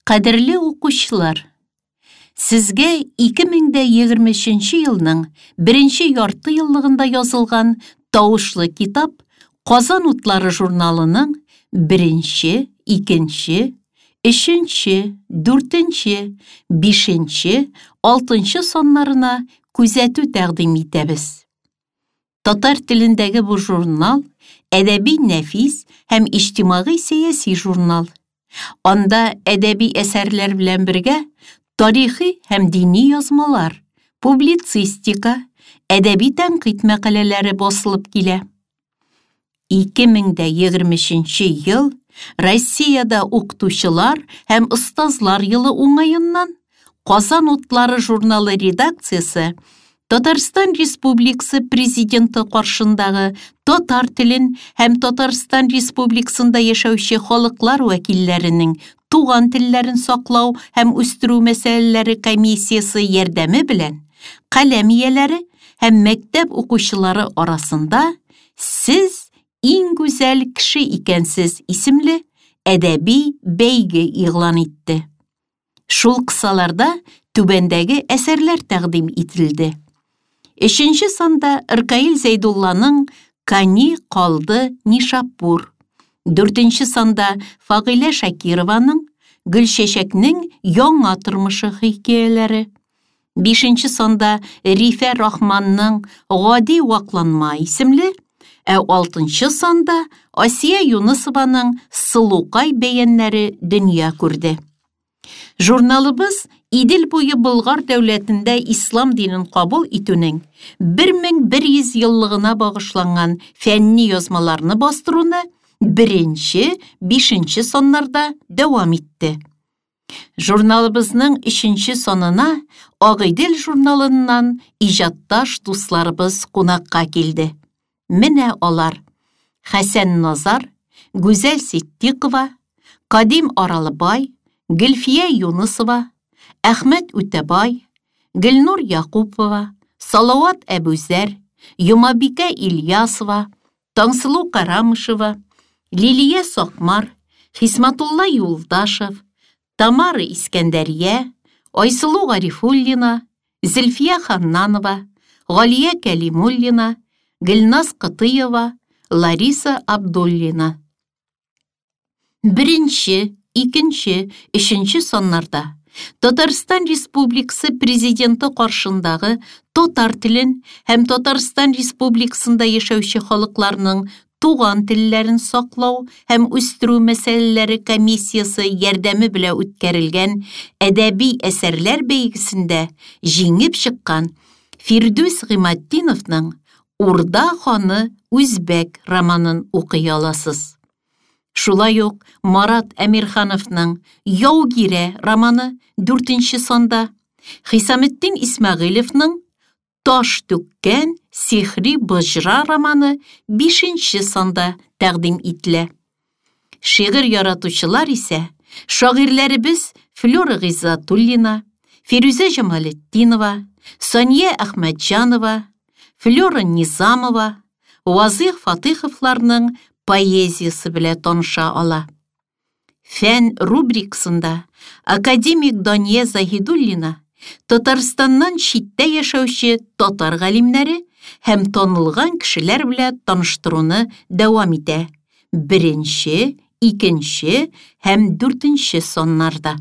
Кадерле укучылар! Сезгә 2023 елның беренче ярты еллыгында язылган тавышлы китап Казан утлары журналының беренче, икенче, өченче, дүртенче, бишенче, алтынчы саннарына күзәтү тәкъдим итәбез. Татар телендәге бу журнал әдәби нәфис һәм иҗтимагый-сәяси журнал. Анда әдәби әсәрләр белән бергә тарихи һәм дини язмалар, публицистика, әдәби тәнкыйть мәкаләләре басылып килә. 2023 ел Россиядә укытучылар һәм остазлар елы уңаеннан Казан утлары журналы редакциясе Татарстан Республикасы Президенты каршындагы татар телен һәм Татарстан Республикасында яшәүче халыклар вәкилләренең туган телләрен саклау һәм үстерү мәсьәләләре комиссиясе ярдәме белән каләм ияләре һәм мәктәп укучылары арасында Сез иң гүзәл кеше икәнсез исемле әдәби бәйге игълан итте. Шул кысаларда түбәндәге әсәрләр тәкъдим ителде. Өченче санда Ркаил Зәйдулланың Кани калды Нишапур. Дүртенче санда Фагыйлә Шакированың Гөлчәчәкнең яңа тормышы хикәяләре. Бишенче санда Рифә Рахманның Гади вакланма исемле, ә алтынчы санда Асия Юнысованың Сылукай бәяннәре дөнья күрде. Журналыбыз Идел буе Болгар дәүләтендә ислам динен кабул итүнең 1100 еллыгына багышланган фәнни язмаларны бастыруны беренче, бишенче саннарда дәвам итте. Журналыбызның өченче санына Агыйдел журналыннан иҗатташ дусларыбыз кунакка килде. Менә алар: Хәсән Назар, Гүзәл Ситдикова, Кадим Аралыбай, Гөлфия Юнысова, Әхмәт Үтәбай, Гөлнур Якупова, Салават Әбүзәр, Йомабикә Ильясова, Таңсылу Карамышева, Лилия Сакмар, Хисматулла Юлдашев, Тамара Искәндәрия, Айсылу Гарифуллина, Зөлфия Ханнанова, Галия Кәлимуллина, Гөлназ Кытыева, Лариса Абдуллина. Беренче, икенче, өченче саннарда Татарстан Республикасы Президенты каршындагы татар телен һәм Татарстан Республикасында яшәүче халыкларның туган телләрен саклау һәм үстерү мәсьәләләре комиссиясе ярдәме белән үткәрелгән әдәби әсәрләр бәйгесендә җиңеп чыккан Фирдүс Гыйматдиновның Урда ханы Үзбәк романын укый аласыз. Шулай ук Марат Әмирхановның Яугирә романы дүртенче санда, Хисаметдин Исмәгыйлевның Таш түккән сихри боҗра романы бишенче санда тәкъдим ителә. Шигырь яратучылар исә шагыйрьләребез Флюра Гыйззатуллина, Фирүзә Җамалетдинова, Сания Әхмәтҗанова, Флюра Низамова, Вазыйх Фатыйховларның поэзиясе белән таныша ала. Фән рубрикасында академик Дания Заһидуллина Татарстаннан читтә яшәүче татар галимнәре һәм танылган кешеләр белән таныштыруны дәвам итә. Беренче, икенче һәм дүртенче саннарда.